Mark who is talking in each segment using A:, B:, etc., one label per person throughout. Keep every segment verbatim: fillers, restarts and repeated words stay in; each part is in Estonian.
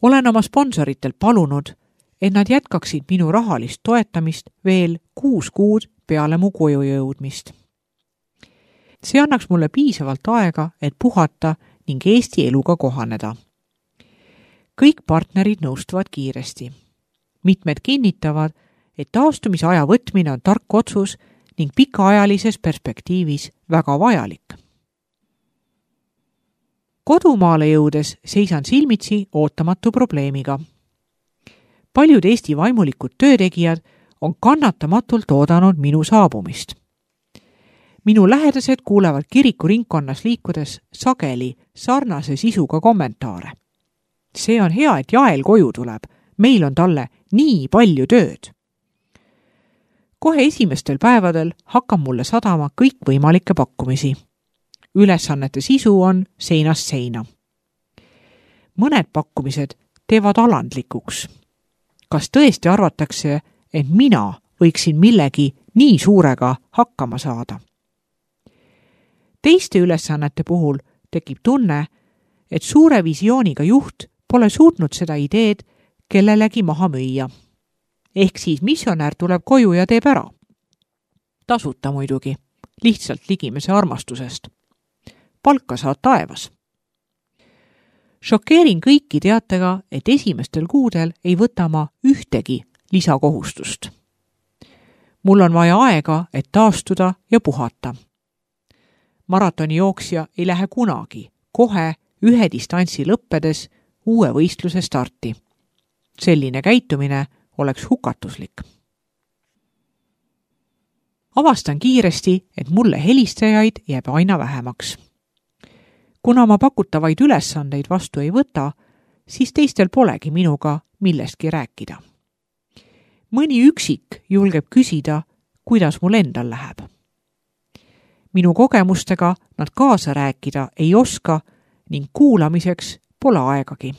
A: Olen oma sponsoritel palunud, et nad jätkaksid minu rahalist toetamist veel kuus kuud peale mu koju jõudmist. See annaks mulle piisavalt aega, et puhata ning Eesti eluga kohaneda. Kõik partnerid nõustuvad kiiresti. Mitmed kinnitavad, et taastumise aja võtmine on tark otsus ning pikaajalises perspektiivis väga vajalik. Kodumaale jõudes seisan silmitsi ootamatu probleemiga. Paljud Eesti vaimulikud töötegijad on kannatamatult oodanud minu saabumist. Minu lähedased kuulevad kiriku ringkonnas liikudes sageli sarnase sisuga kommentaare. See on hea, et Jael koju tuleb. Meil on talle nii palju tööd. Kohe esimestel päevadel hakkab mulle sadama kõik võimalikke pakkumisi. Ülesannete sisu on seinast seina. Mõned pakkumised teevad alandlikuks. Kas tõesti arvatakse, et mina võiksin millegi nii suurega hakkama saada? Teiste ülesannete puhul tekib tunne, et suure visiooniga juht pole suutnud seda ideed kellelegi maha müüa. Ehk siis missionär tuleb koju ja teeb ära. Tasuta muidugi, lihtsalt ligimese armastusest. Palka saad taevas. Šokeerin kõiki teatega, et esimestel kuudel ei võta ma ühtegi lisakohustust. Mul on vaja aega, et taastuda ja puhata. Maratoni jooksja ei lähe kunagi, kohe ühe distantsi lõppedes uue võistluse starti. Selline käitumine oleks hukatuslik. Avastan kiiresti, et mulle helistajaid jääb aina vähemaks. Kuna ma pakutavaid ülesandeid vastu ei võta, siis teistel polegi minuga millestki rääkida. Mõni üksik julgeb küsida, kuidas mul endal läheb. Minu kogemustega nad kaasa rääkida ei oska ning kuulamiseks pole aegagi.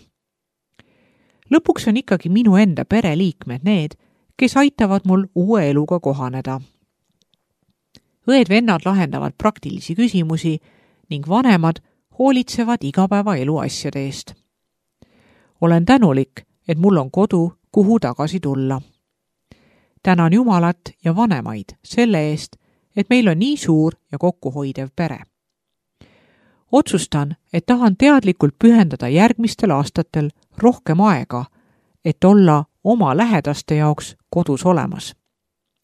A: Lõpuks on ikkagi minu enda pereliikmed need, kes aitavad mul uue eluga kohaneda. Õed-vennad lahendavad praktilisi küsimusi ning vanemad hoolitsevad igapäeva elu asjade eest. Olen tänulik, et mul on kodu, kuhu tagasi tulla. Tänan Jumalat ja vanemaid selle eest, et meil on nii suur ja kokkuhoidev pere. Otsustan, et tahan teadlikult pühendada järgmistel aastatel rohkem aega, et olla oma lähedaste jaoks kodus olemas.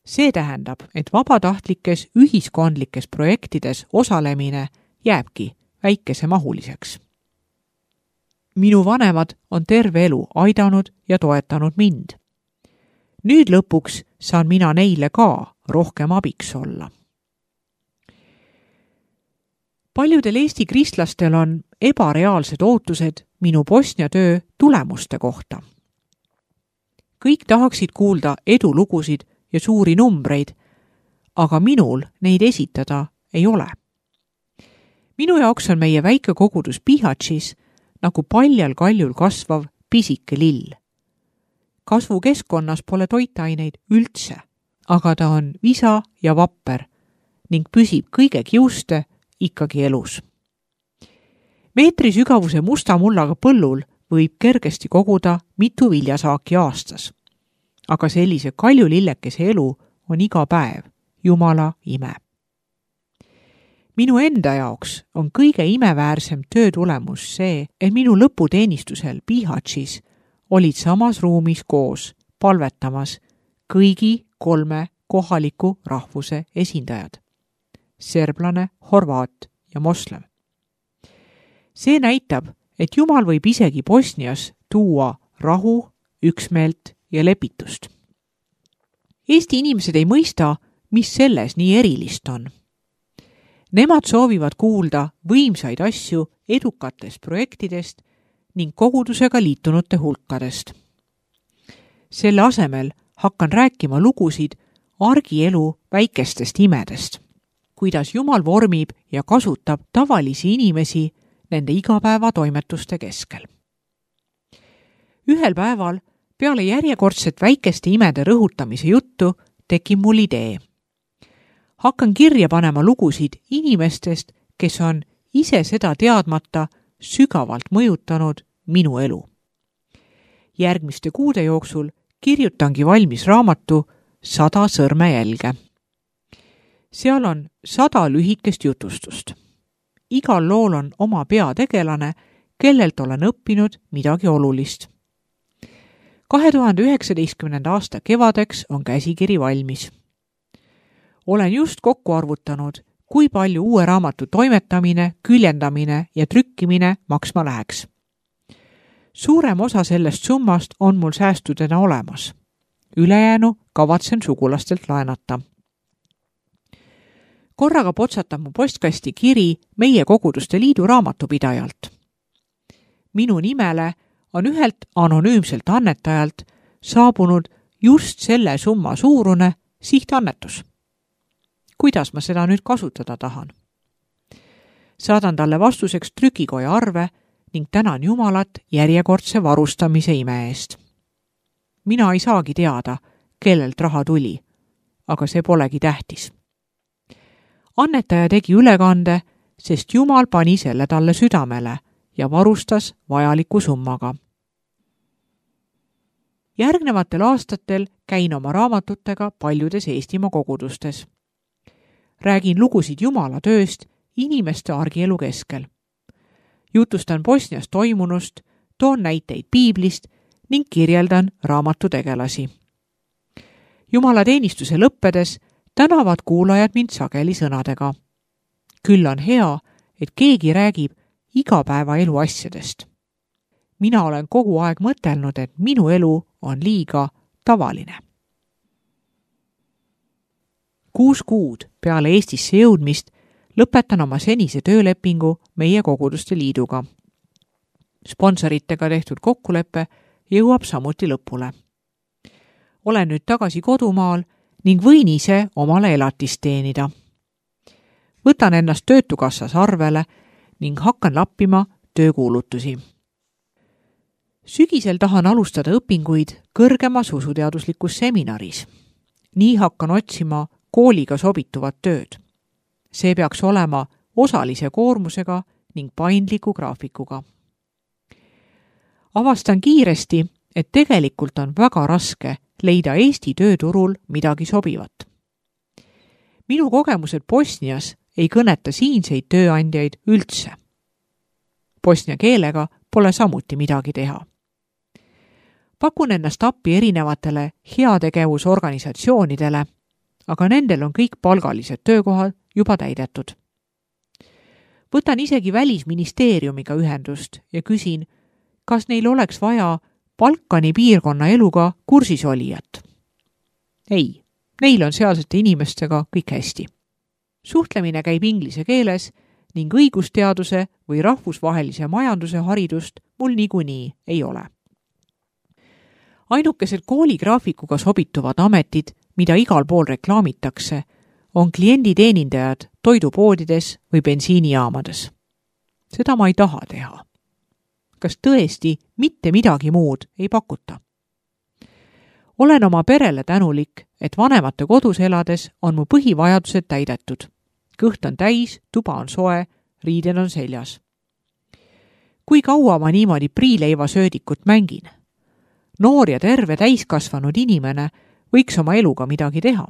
A: See tähendab, et vabatahtlikes ühiskondlikes projektides osalemine jääbki väikesemahuliseks. Minu vanemad on terve elu aidanud ja toetanud mind. Nüüd lõpuks saan mina neile ka rohkem abiks olla. Paljudel Eesti kristlastel on ebareaalsed ootused minu Bosnia töö tulemuste kohta. Kõik tahaksid kuulda edulugusid ja suuri numbreid, aga minul neid esitada ei ole. Minu jaoks on meie väike kogudus Bihaćis nagu paljal kaljul kasvav pisike lill. Kasvukeskkonnas pole toitaineid üldse, aga ta on visa ja vapper ning püsib kõige kiuste ikkagi elus. Meetri sügavuse musta mullaga põllul võib kergesti koguda mitu viljasaaki aastas. Aga sellise kaljulillekese elu on iga päev Jumala ime. Minu enda jaoks on kõige imeväärsem töö tulemus see, et minu lõputeenistusel Bihaćis olid samas ruumis koos palvetamas kõigi kolme kohaliku rahvuse esindajad. Serblane, horvaat ja moslem. See näitab, et Jumal võib isegi Bosnias tuua rahu, üksmeelt ja lepitust. Eesti inimesed ei mõista, mis selles nii erilist on. Nemad soovivad kuulda võimsaid asju edukatest projektidest ning kogudusega liitunute hulkadest. Selle asemel hakkan rääkima lugusid argielu väikestest imedest, kuidas Jumal vormib ja kasutab tavalisi inimesi nende igapäevatoimetuste keskel. Ühel päeval peale järjekordset väikeste imede rõhutamise juttu tekib mul idee. Hakkan kirja panema lugusid inimestest, kes on ise seda teadmata sügavalt mõjutanud minu elu. Järgmiste kuude jooksul kirjutangi valmis raamatu Sada sõrmejälge. Seal on sada lühikest jutustust. Igal lool on oma peategelane, kellelt olen õppinud midagi olulist. kahe tuhande üheksateistkümnenda aasta kevadeks on käsikiri valmis. Olen just kokku arvutanud, kui palju uue raamatu toimetamine, küljendamine ja trükkimine maksma läheks. Suurem osa sellest summast on mul säästudena olemas. Ülejäänu kavatsen sugulastelt laenata. Korraga potsatab mu postkasti kiri meie Koguduste Liidu raamatupidajalt. Minu nimele on ühelt anonüümselt annetajalt saabunud just selle summa suurune sihtannetus. Kuidas ma seda nüüd kasutada tahan? Saadan talle vastuseks trükikoja arve ning tänan Jumalat järjekordse varustamise ime eest. Mina ei saagi teada, kellelt raha tuli, aga see polegi tähtis. Annetaja tegi ülekande, sest Jumal pani selle talle südamele ja varustas vajaliku summaga. Järgnevatel aastatel käin oma raamatutega paljudes Eestimaa kogudustes. Räägin lugusid Jumala tööst inimeste argielu keskel. Jutustan Bosnias toimunust, toon näiteid piiblist ning kirjeldan raamatu tegelasi. Jumala teenistuse lõppedes tänavad kuulajad mind sageli sõnadega. Küll on hea, et keegi räägib igapäevaelu asjadest. Mina olen kogu aeg mõtelnud, et minu elu on liiga tavaline. Kuus kuud peale Eestisse jõudmist lõpetan oma senise töölepingu meie Koguduste Liiduga. Sponsoritega tehtud kokkulepe jõuab samuti lõpule. Olen nüüd tagasi kodumaal ning võin ise omale elatist teenida. Võtan ennast töötukassas arvele ning hakkan lappima töökuulutusi. Sügisel tahan alustada õpinguid kõrgemas usuteaduslikus seminaris. Nii hakkan otsima kooliga sobituvat tööd. See peaks olema osalise koormusega ning paindliku graafikuga. Avastan kiiresti, et tegelikult on väga raske leida Eesti tööturul midagi sobivat. Minu kogemused Bosnias ei kõneta siinseid tööandjaid üldse. Bosnia keelega pole samuti midagi teha. Pakun ennast appi erinevatele heategevusorganisatsioonidele, aga nendel on kõik palgalised töökohad juba täidetud. Võtan isegi Välisministeeriumiga ühendust ja küsin, kas neil oleks vaja Balkani piirkonna eluga kursis olijat. Ei, neil on sealsete inimestega kõik hästi. Suhtlemine käib inglise keeles ning õigusteaduse või rahvusvahelise majanduse haridust mul niikuinii ei ole. Ainukesed kooligraafikuga sobituvad ametid, mida igal pool reklaamitakse, on klienditeenindajad toidupoodides või bensiinijaamades. Seda ma ei taha teha. Kas tõesti mitte midagi muud ei pakuta? Olen oma perele tänulik, et vanemate kodus elades on mu põhivajadused täidetud. Kõht on täis, tuba on soe, riided on seljas. Kui kaua ma niimoodi priileiva söödikut mängin? Noor ja terve täiskasvanud inimene võiks oma eluga midagi teha.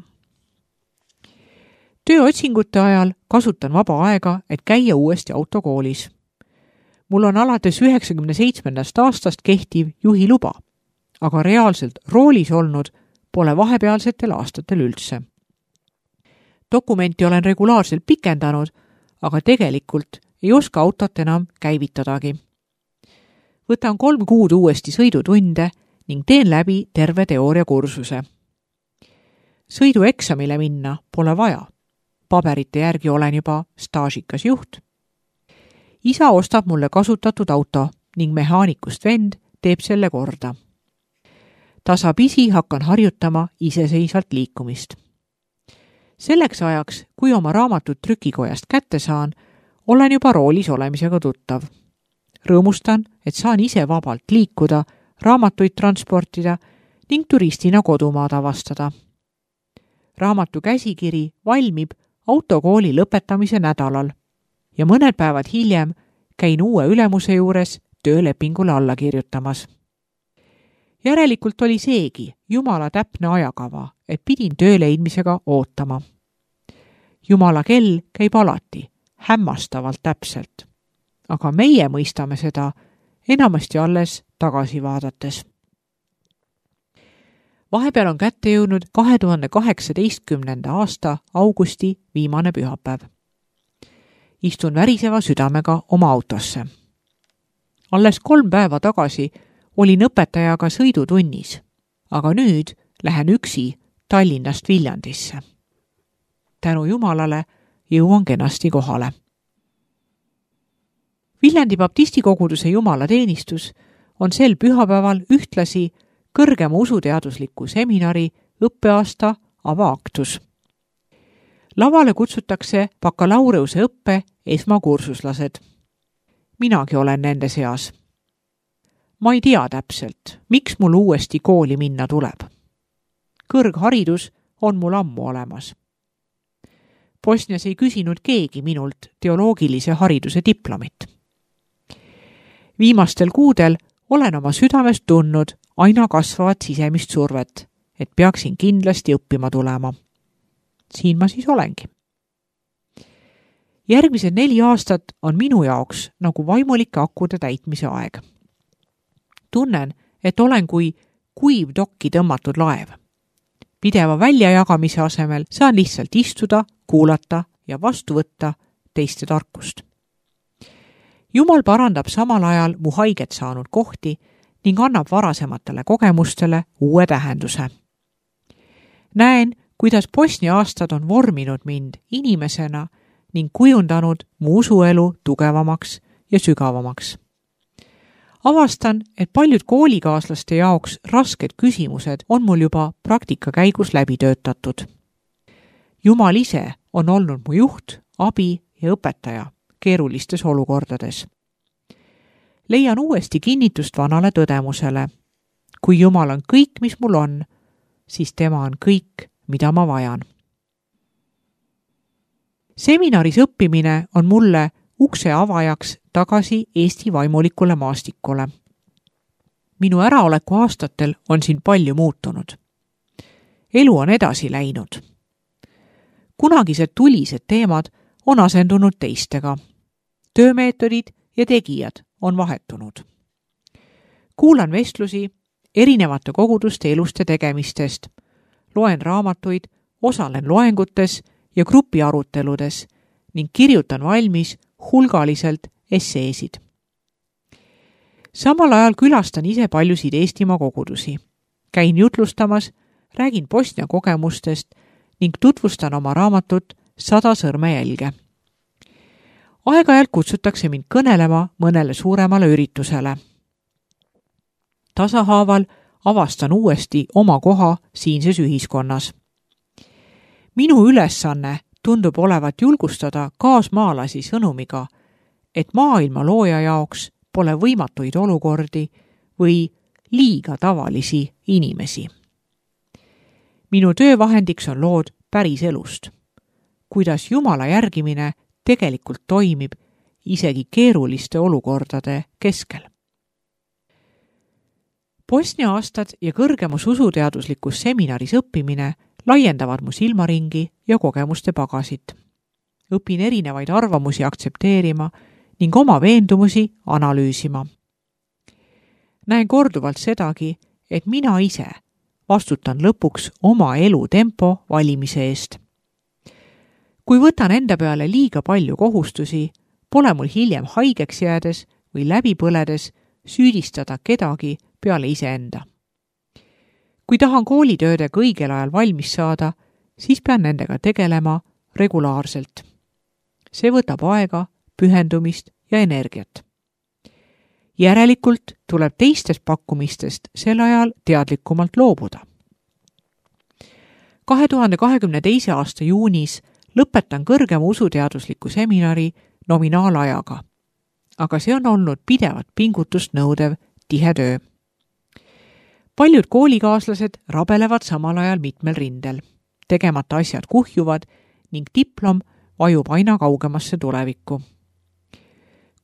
A: Tööotsingute ajal kasutan vaba aega, et käia uuesti autokoolis. Mul on alates üheksakümne seitsmendast aastast kehtiv juhiluba, aga reaalselt roolis olnud pole vahepealsetel aastatel üldse. Dokumenti olen regulaarselt pikendanud, aga tegelikult ei oska autot enam käivitadagi. Võtan kolm kuud uuesti sõidutunde ning teen läbi terve teooriakursuse. Sõidueksamile minna pole vaja. Paberite järgi olen juba staažikas juht. Isa ostab mulle kasutatud auto ning mehaanikust vend teeb selle korda. Tasapisi hakkan harjutama iseseisvalt liikumist. Selleks ajaks, kui oma raamatut trükikojast kätte saan, olen juba roolis olemisega tuttav. Rõõmustan, et saan ise vabalt liikuda, raamatuid transportida ning turistina kodumaad avastada. Raamatu käsikiri valmib autokooli lõpetamise nädalal ja mõned päevad hiljem käin uue ülemuse juures töölepingule alla kirjutamas. Järelikult oli seegi Jumala täpne ajakava, et pidin töö leidmisega ootama. Jumala kell käib alati, hämmastavalt täpselt. Aga meie mõistame seda enamasti alles tagasi vaadates. Vahepeal on kätte jõudnud kahe tuhande kaheksateistkümnenda aasta augusti viimane pühapäev. Istun väriseva südamega oma autosse. Alles kolm päeva tagasi olin õpetajaga sõidutunnis, aga nüüd lähen üksi Tallinnast Viljandisse. Tänu Jumalale jõuan kenasti kohale. Viljandi baptistikoguduse jumalateenistus on sel pühapäeval ühtlasi kõrgema usuteadusliku seminari õppeaasta avaaktus. Lavale kutsutakse bakalaureuse õppe esmakursuslased. Minagi olen nende seas. Ma ei tea täpselt, miks mul uuesti kooli minna tuleb. Kõrgharidus on mul ammu olemas. Bosnias ei küsinud keegi minult teoloogilise hariduse diplomit. Viimastel kuudel olen oma südamest tundnud aina kasvavat sisemist survet, et peaksin kindlasti õppima tulema. Siin ma siis olengi. Järgmised neli aastat on minu jaoks nagu vaimulike akude täitmise aeg. Tunnen, et olen kui kuiv dokki tõmmatud laev. Pideva väljajagamise asemel saan lihtsalt istuda, kuulata ja vastu võtta teiste tarkust. Jumal parandab samal ajal mu haiget saanud kohti ning annab varasematele kogemustele uue tähenduse. Näen, kuidas Bosnia aastad on vorminud mind inimesena ning kujundanud mu usuelu tugevamaks ja sügavamaks. Avastan, et paljud koolikaaslaste jaoks rasked küsimused on mul juba praktika käigus läbi töötatud. Jumal ise on olnud mu juht, abi ja õpetaja keerulistes olukordades. Leian uuesti kinnitust vanale tõdemusele. Kui Jumal on kõik, mis mul on, siis tema on kõik, mida ma vajan. Seminaris õppimine on mulle ukse avajaks tagasi Eesti vaimulikule maastikule. Minu äraoleku aastatel on siin palju muutunud. Elu on edasi läinud. Kunagised tulised teemad on asendunud teistega. Töömeetodid ja tegijad on vahetunud. Kuulan vestlusi erinevate koguduste elust ja tegemistest, loen raamatuid, osalen loengutes ja grupiaruteludes ning kirjutan valmis hulgaliselt esseesid. Samal ajal külastan ise paljusid Eestimaa kogudusi. Käin jutlustamas, räägin Bosnia kogemustest ning tutvustan oma raamatut Sada sõrmejälge. Aeg-ajalt kutsutakse mind kõnelema mõnele suuremale üritusele. Tasahaaval avastan uuesti oma koha siinses ühiskonnas. Minu ülesanne tundub olevat julgustada kaasmaalasi sõnumiga, et maailma looja jaoks pole võimatuid olukordi või liiga tavalisi inimesi. Minu töövahendiks on lood päris elust. Kuidas Jumala järgimine tegelikult toimib isegi keeruliste olukordade keskel. Bosnia aastad ja kõrgemus usuteaduslikus seminaris õppimine laiendavad mu silmaringi ja kogemuste pagasit. Õpin erinevaid arvamusi aktsepteerima ning oma veendumusi analüüsima. Näen korduvalt sedagi, et mina ise vastutan lõpuks oma elu tempo valimise eest. Kui võtan enda peale liiga palju kohustusi, pole mul hiljem haigeks jäädes või läbi põledes süüdistada kedagi peale iseenda. Kui tahan koolitöödega õigel ajal valmis saada, siis pean nendega tegelema regulaarselt. See võtab aega, pühendumist ja energiat. Järelikult tuleb teistest pakkumistest sel ajal teadlikumalt loobuda. kahe tuhande kahekümne teise aasta juunis lõpetan kõrgema usuteadusliku seminari nominaalajaga, aga see on olnud pidevat pingutust nõudev tihe töö. Paljud koolikaaslased rabelevad samal ajal mitmel rindel. Tegemata asjad kuhjuvad ning diplom vajub aina kaugemasse tulevikku.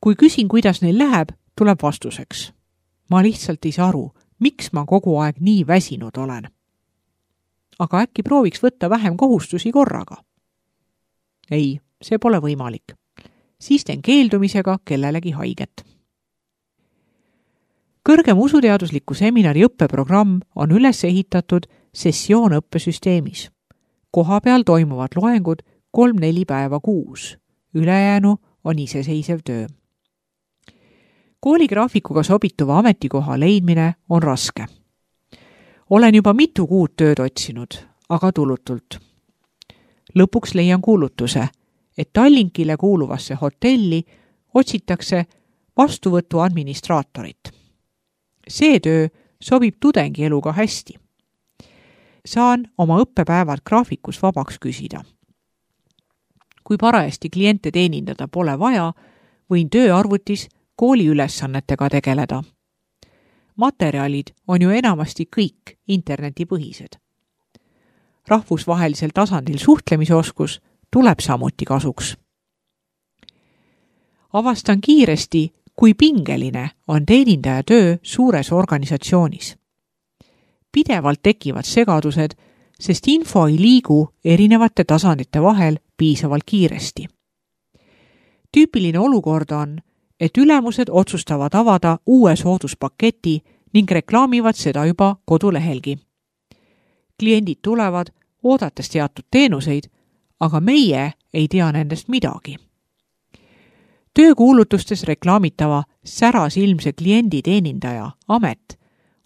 A: Kui küsin, kuidas neil läheb, tuleb vastuseks. Ma lihtsalt ei saa aru, miks ma kogu aeg nii väsinud olen. Aga äkki prooviks võtta vähem kohustusi korraga? Ei, see pole võimalik. Siis teen keeldumisega kellelegi haiget. Kõrgem usuteadusliku seminari õppeprogramm on üles ehitatud sessioonõppesüsteemis. Koha peal toimuvad loengud kolm-neli päeva kuus. Ülejäänu on iseseisev töö. Kooligraafikuga sobituva ametikoha leidmine on raske. Olen juba mitu kuud tööd otsinud, aga tulutult. Lõpuks leian kuulutuse, et Tallinkile kuuluvasse hotelli otsitakse vastuvõtu administraatorit. See töö sobib tudengieluga hästi. Saan oma õppepäevad graafikus vabaks küsida. Kui parajasti kliente teenindada pole vaja, võin tööarvutis kooli ülesannetega tegeleda. Materjalid on ju enamasti kõik internetipõhised. Rahvusvahelisel tasandil suhtlemisoskus tuleb samuti kasuks. Avastan kiiresti, kui pingeline on teenindaja töö suures organisatsioonis. Pidevalt tekivad segadused, sest info ei liigu erinevate tasandite vahel piisavalt kiiresti. Tüüpiline olukord on, et ülemused otsustavad avada uue sooduspaketi ning reklaamivad seda juba kodulehelgi. Kliendid tulevad, oodates teatud teenuseid, aga meie ei tea nendest midagi. Töökuulutustes reklaamitava särasilmse kliendi teenindaja amet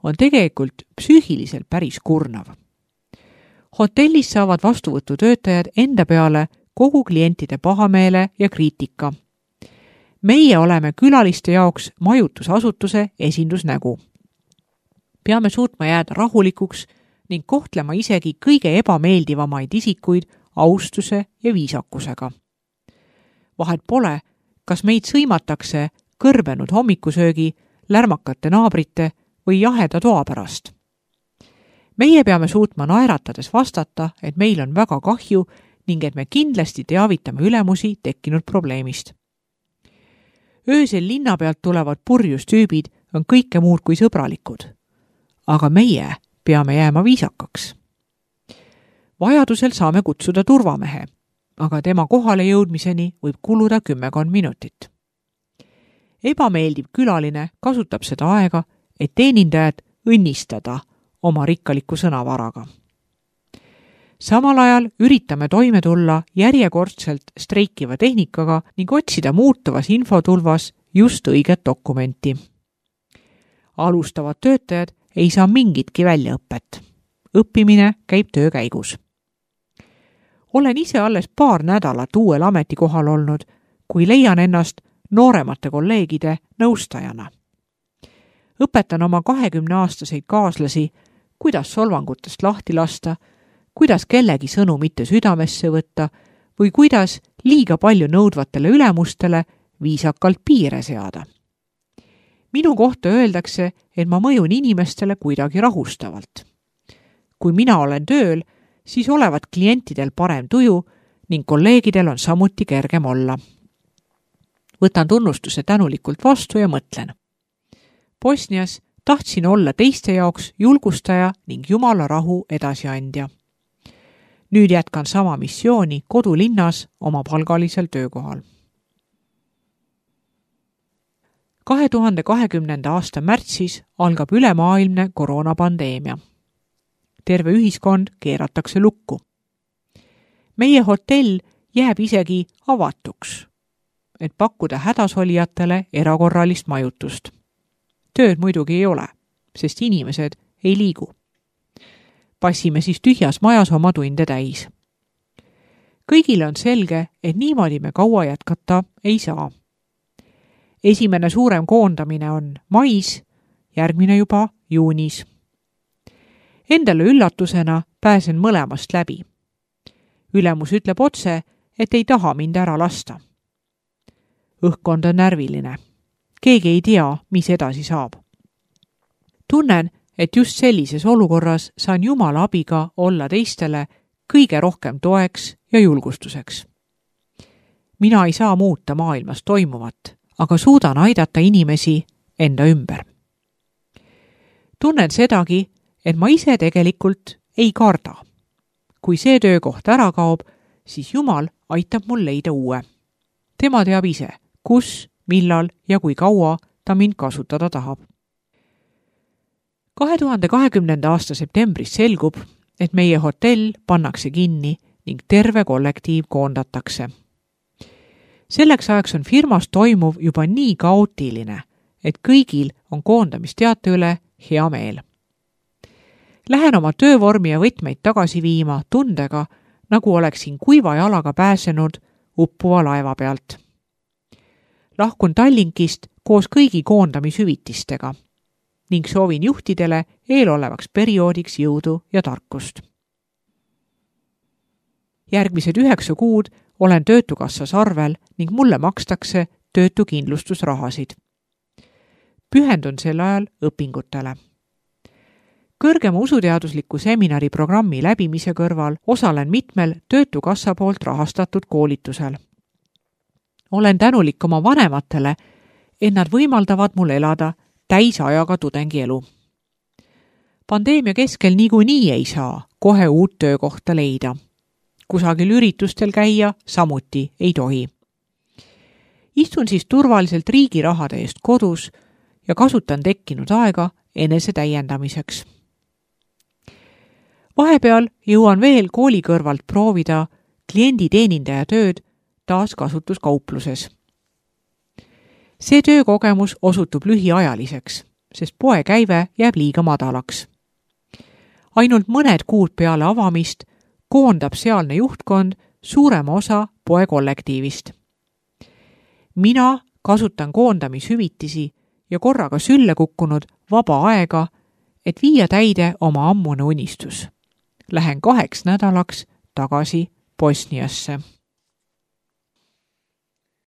A: on tegelikult psüühiliselt päris kurnav. Hotellis saavad vastuvõtutöötajad enda peale kogu klientide pahameele ja kriitika. Meie oleme külaliste jaoks majutusasutuse esindusnägu. Peame suutma jääda rahulikuks ning kohtlema isegi kõige ebameeldivamaid isikuid austuse ja viisakusega. Vahet pole, kas meid sõimatakse kõrbenud hommikusöögi, lärmakate naabrite või jaheda toa pärast. Meie peame suutma naeratades vastata, et meil on väga kahju ning et me kindlasti teavitame ülemusi tekkinud probleemist. Öösel linna pealt tulevad purjustüübid on kõike muud kui sõbralikud, aga meie peame jääma viisakaks. Vajadusel saame kutsuda turvamehe, aga tema kohale jõudmiseni võib kuluda kümmekond minutit. Ebameeldiv külaline kasutab seda aega, et teenindajad õnnistada oma rikkaliku sõnavaraga. Samal ajal üritame toime tulla järjekordselt streikiva tehnikaga ning otsida muutuvas infotulvas just õiget dokumenti. Alustavad töötajad ei saa mingitki väljaõpet. Õppimine käib töö käigus. Olen ise alles paar nädalat uuel ametikohal olnud, kui leian ennast nooremate kolleegide nõustajana. Õpetan oma kahekümneaastaseid kaaslasi, kuidas solvangutest lahti lasta, kuidas kellegi sõnu mitte südamesse võtta või kuidas liiga palju nõudvatele ülemustele viisakalt piire seada. Minu kohta öeldakse, et ma mõjun inimestele kuidagi rahustavalt. Kui mina olen tööl, siis olevat klientidel parem tuju ning kolleegidel on samuti kergem olla. Võtan tunnustuse tänulikult vastu ja mõtlen. Bosnias tahtsin olla teiste jaoks julgustaja ning Jumala rahu edasiandja. Nüüd jätkan sama missiooni kodulinnas oma palgalisel töökohal. kahe tuhande kahekümnenda aasta märtsis algab ülemaailmne koroonapandeemia. Terve ühiskond keeratakse lukku. Meie hotell jääb isegi avatuks, et pakkuda hädasolijatele erakorralist majutust. Tööd muidugi ei ole, sest inimesed ei liigu. Passime siis tühjas majas oma tunde täis. Kõigile on selge, et niimoodi me kaua jätkata ei saa. Esimene suurem koondamine on mais, järgmine juba juunis. Endale üllatusena pääsen mõlemast läbi. Ülemus ütleb otse, et ei taha mind ära lasta. Õhkkond on närviline. Keegi ei tea, mis edasi saab. Tunnen, et just sellises olukorras saan Jumala abiga olla teistele kõige rohkem toeks ja julgustuseks. Mina ei saa muuta maailmas toimuvat, aga suudan aidata inimesi enda ümber. Tunnen sedagi, et ma ise tegelikult ei karda. Kui see töökoht ära kaob, siis Jumal aitab mul leida uue. Tema teab ise, kus, millal ja kui kaua ta mind kasutada tahab. kahe tuhande kahekümnenda aasta septembris selgub, et meie hotell pannakse kinni ning terve kollektiiv koondatakse. Selleks ajaks on firmas toimuv juba nii kaootiline, et kõigil on koondamisteate üle hea meel. Lähen oma töövormi ja võtmeid tagasi viima tundega, nagu oleksin kuiva jalaga pääsenud uppuva laeva pealt. Lahkun Tallinkist koos kõigi koondamishüvitistega ning soovin juhtidele eelolevaks perioodiks jõudu ja tarkust. Järgmised üheksa kuud olen Töötukassas arvel ning mulle makstakse töötukindlustusrahasid. Pühendun sel ajal õpingutele. Kõrgema usuteadusliku seminari programmi läbimise kõrval osalen mitmel Töötukassa poolt rahastatud koolitusel. Olen tänulik oma vanematele, et nad võimaldavad mul elada täisajaga tudengielu. Pandeemia keskel niikuinii ei saa kohe uut töökohta leida. Kusagil üritustel käia samuti ei tohi. Istun siis turvaliselt riigi rahade eest kodus ja kasutan tekkinud aega enese täiendamiseks. Vahepeal jõuan veel kooli kõrvalt proovida klienditeenindaja tööd taaskasutuskaupluses. See töökogemus osutub lühiajaliseks, sest poe käive jääb liiga madalaks. Ainult mõned kuud peale avamist koondab sealne juhtkond suurema osa poe kollektiivist. Mina kasutan koondamishüvitisi ja korraga sülle kukkunud vaba aega, et viia täide oma ammune unistus. Lähen kaheks nädalaks tagasi Bosniasse.